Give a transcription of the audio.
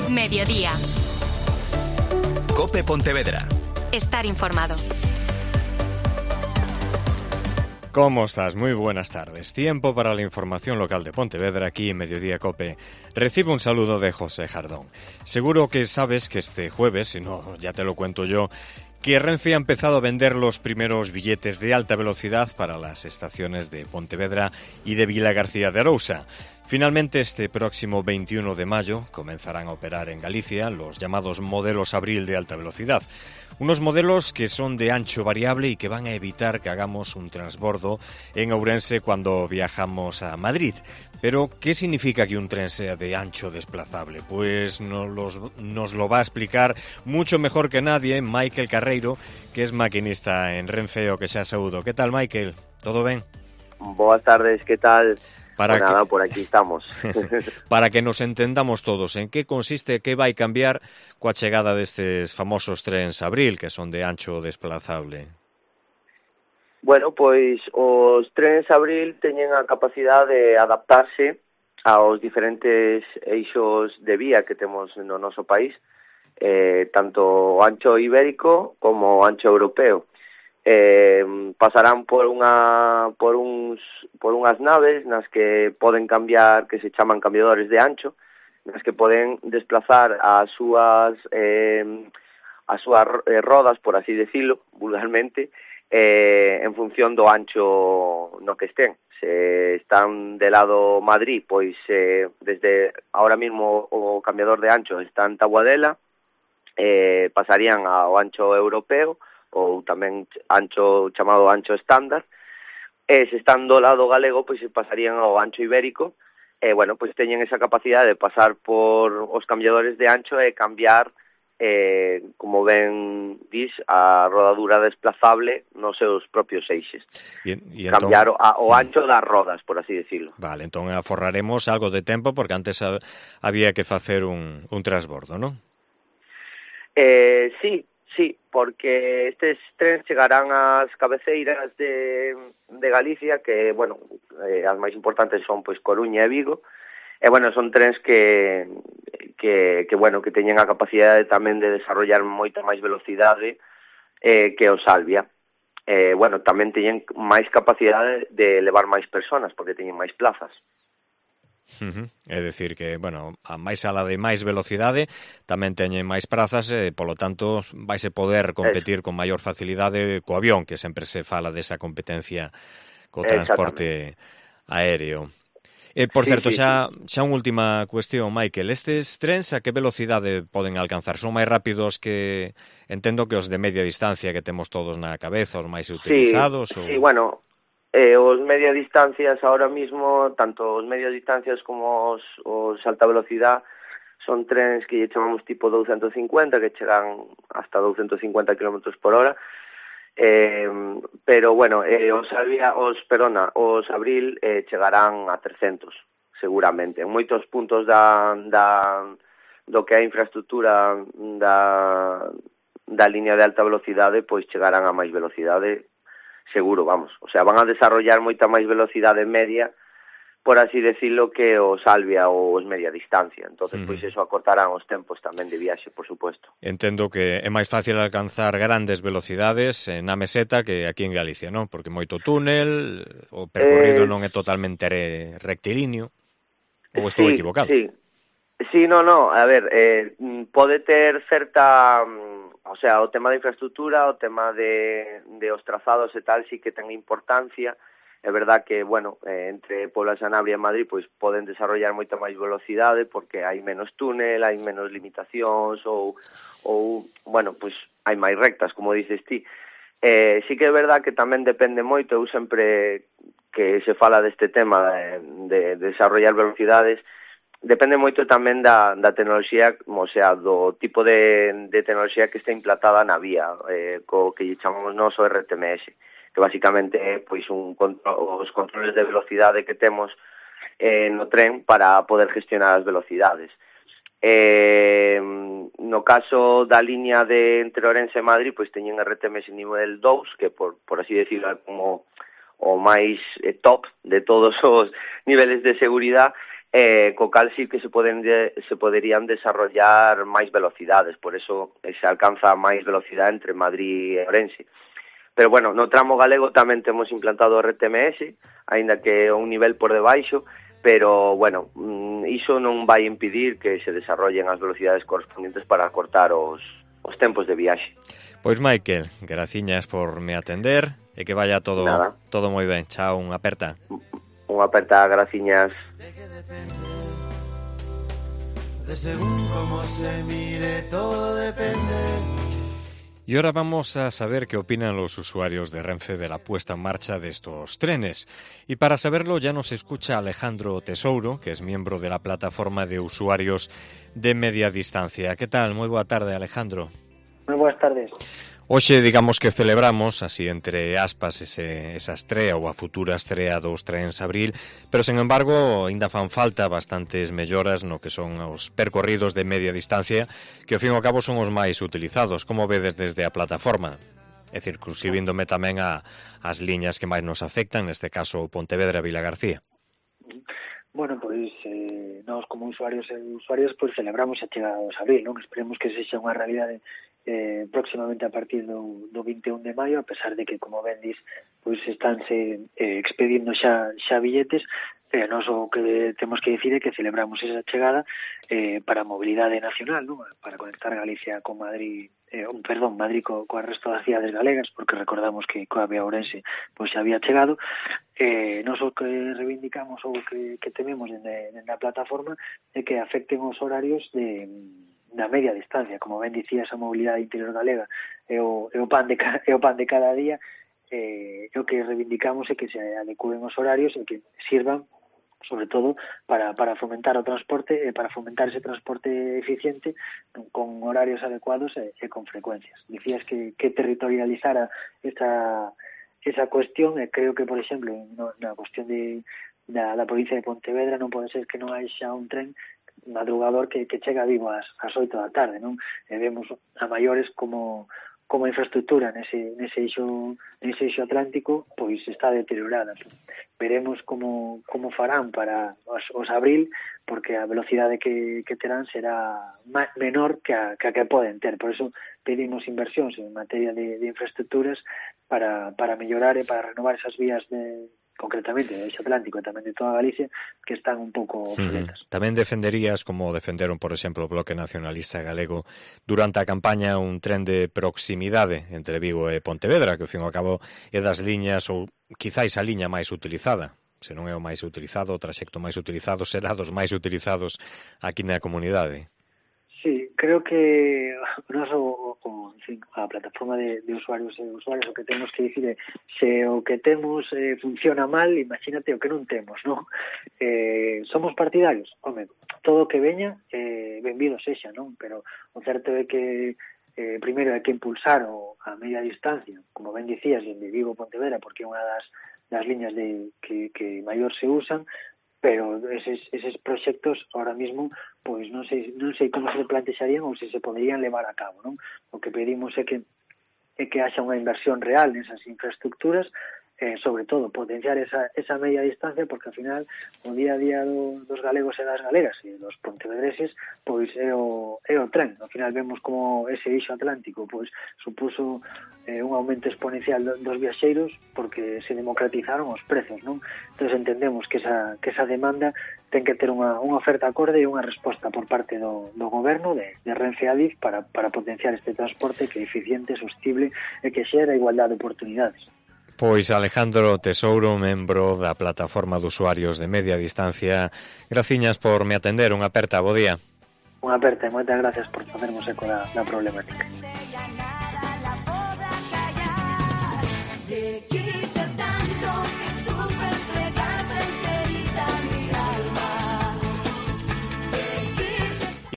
Mediodía. COPE Pontevedra. Estar informado. ¿Cómo estás? Muy buenas tardes. Tiempo para la información local de Pontevedra aquí en Mediodía COPE. Recibe un saludo de José Jardón. Seguro que sabes que este jueves, si no ya te lo cuento yo, que Renfe ha empezado a vender los primeros billetes de alta velocidad para las estaciones de Pontevedra y de Vilagarcía de Arousa. Finalmente, este próximo 21 de mayo comenzarán a operar en Galicia los llamados modelos Abril de alta velocidad. Unos modelos que son de ancho variable y que van a evitar que hagamos un transbordo en Ourense cuando viajamos a Madrid. Pero, ¿qué significa que un tren sea de ancho desplazable? Pues nos lo va a explicar mucho mejor que nadie Michael Carreiro, que es maquinista en Renfe, o que xa saúdo. ¿Qué tal, Michael? ¿Todo ben? Boas tardes, ¿qué tal? Pues nada, por aquí estamos. Para que nos entendamos todos, en que consiste, que vai cambiar coa chegada destes famosos trens Abril, que son de ancho desplazable? Bueno, pois os trens Abril teñen a capacidade de adaptarse aos diferentes eixos de vía que temos no noso país, tanto o ancho ibérico como o ancho europeo. Pasarán por unhas naves nas que poden cambiar, que se chaman cambiadores de ancho, nas que poden desplazar as súas rodas, por así decirlo, vulgarmente, en función do ancho no que estén. Se están de lado Madrid, pois desde ahora mismo o cambiador de ancho está en Taboadela, pasarían ao ancho europeo, ou tamén ancho chamado ancho estándar, e se están do lado galego, pois se pasarían ao ancho ibérico, e, bueno, pois teñen esa capacidade de pasar por os cambiadores de ancho e cambiar, como ben dis, a rodadura desplazable nos seus propios eixes. Cambiar o ancho das rodas, por así decirlo. Vale, entón aforraremos algo de tempo, porque antes había que facer un transbordo, non? Sí, porque estes trens chegarán ás cabeceiras de Galicia, que, bueno, as máis importantes son, pois, Coruña e Vigo, e, bueno, son trens que teñen a capacidade tamén de desarrollar moita máis velocidade que o Salvia. Bueno, tamén teñen máis capacidade de levar máis persoas, porque teñen máis plazas. É dicir que, bueno, a máis ala de máis velocidade tamén teñen máis prazas e, polo tanto, vaise poder competir con maior facilidade co avión, que sempre se fala desa competencia co transporte aéreo. Por certo, xa unha última cuestión, Michael. Estes trens a que velocidade poden alcanzar? Son máis rápidos que, entendo, que os de media distancia que temos todos na cabeza, os máis utilizados? Sí, bueno, os media distancias ahora mismo, tanto os media distancias como os alta velocidade, son trens que lle chamamos tipo 250, que chegan hasta 250 km por hora, pero, bueno, os Abril chegarán a 300, seguramente. En moitos puntos do que é a infraestructura da liña de alta velocidade, pois chegarán a máis velocidade, seguro, vamos. O sea, van a desarrollar moita máis velocidade media, por así decirlo, que o Salvia ou os media distancia. Entonces, pois eso acortarán os tempos tamén de viaxe, por suposto. Entendo que é máis fácil alcanzar grandes velocidades na meseta que aquí en Galicia, non? Porque moito túnel, o percorrido non é totalmente rectilíneo, ou estou equivocado? Sí, no, a ver, pode ter certa... O sea, o tema da infraestructura, o tema de os trazados e tal, sí que ten importancia. É verdad que, bueno, entre Puebla, Sanabria e Madrid, pois poden desarrollar moita máis velocidade porque hai menos túnel, hai menos limitacións ou bueno, pois hai máis rectas, como dices ti. Sí que é verdad que tamén depende moito, eu sempre que se fala deste tema de desarrollar velocidades, depende moito tamén da tecnoloxía, o sea, do tipo de tecnoloxía que está implantada na vía, co que chamamos nós o RTMS, que basicamente é pois os controles de velocidade que temos no tren para poder gestionar as velocidades. No caso da liña de entre Ourense e Madrid, pois teñen RTMS nivel 2, que por así decirlo é como o máis top de todos os niveles de seguridade, co cal sí que se poderían desarrollar máis velocidades, por eso se alcanza máis velocidade entre Madrid e Ourense. Pero bueno, no tramo galego tamén temos implantado o RTMS, aínda que é un nivel por debaixo, pero bueno, iso non vai impedir que se desarrollen as velocidades correspondientes para acortar os tempos de viaxe. Pois Michael, graciñas por me atender e que vaya todo moi ben. Chao, unha aperta. Unha aperta, graciñas. De según como se mire, todo depende. Y ahora vamos a saber qué opinan los usuarios de Renfe de la puesta en marcha de estos trenes. Y para saberlo ya nos escucha Alejandro Tesouro, que es miembro de la plataforma de usuarios de media distancia. ¿Qué tal? Muy buena tarde, Alejandro. Muy buenas tardes. Hoxe, digamos que celebramos, así entre aspas, esa estrea ou a futura estrea dos trens abril, pero, sen embargo, ainda fan falta bastantes melloras no que son os percorridos de media distancia, que, ao fin e ao cabo, son os máis utilizados. Como vedes desde a plataforma? É circunscribíndome tamén as liñas que máis nos afectan, neste caso Pontevedra-Vilagarcía. Bueno, pois nós como usuarios pois celebramos a chegada dos abril, non? Esperemos que sexa unha realidade próximamente a partir do 21 de maio, a pesar de que, como ben dis, pois estánse expedindo xa billetes. Nós o que temos que dicir é que celebramos esa chegada para a mobilidade nacional, non? Para conectar Galicia con Madrid, Madrid coa resto das cidades galegas, porque recordamos que coa vía Ourense pois xa había chegado. Nós o que reivindicamos ou que tememos dende a plataforma é que afecten os horarios da media distancia. Como ben dicías, a mobilidade interior galega é o pan de cada día. O que reivindicamos é que se adecúen os horarios e que sirvan sobre todo para fomentar o transporte e para fomentar ese transporte eficiente con horarios adecuados e con frecuencias. Dicías que territorializara esa cuestión, e creo que, por exemplo, na cuestión da provincia de Pontevedra non pode ser que non haxa un tren madrugador que chega vivo ás 8 da tarde, non? E vemos a maiores como a infraestructura nese eixo atlántico pois está deteriorada. Veremos como farán para os abril, porque a velocidade que terán será menor que a que poden ter. Por eso pedimos inversións en materia de infraestructuras para mellorar e para renovar esas vías concretamente do eixo atlántico e tamén de toda Galicia, que están un pouco obsoletas. Tamén defenderías, como defenderon, por exemplo, o Bloque Nacionalista Galego durante a campaña, un tren de proximidade entre Vigo e Pontevedra, que, ao fin e ao cabo, é das liñas, ou quizáis a liña máis utilizada. Se non é o máis utilizado, o traxecto máis utilizado será dos máis utilizados aquí na comunidade. Sí, creo que a plataforma de usuarios o que temos que dicir é se o que temos funciona mal, imagínate o que non temos, non? Somos partidarios? Home, todo o que veña, benvido sexa, non? Pero o certo é que primeiro hai que impulsar a media distancia, como ben dicías, de Vigo a Pontevedra, porque é unha das liñas que maior se usan, pero eses proxectos ahora mismo pois non sei como se plantexarían ou se poderían levar a cabo, non? O que pedimos é que haxa unha inversión real nesas infraestructuras, sobre todo potenciar esa media distancia, porque ao final o día a día dos galegos e das galegas e dos pontevedreses pois é o tren. Ao final vemos como ese eixo atlántico pois supuso un aumento exponencial dos viaxeiros porque se democratizaron os prezos, non? Entón entendemos que esa demanda ten que ter unha oferta acorde e unha resposta por parte do goberno de Renfe e Adif para potenciar este transporte que é eficiente, sostible e que xera igualdade de oportunidades. Pois Alejandro Tesouro, membro da plataforma de usuarios de media distancia, graciñas por me atender. Unha aperta, bo día. Unha aperta e moitas gracias por facermos eco da problemática.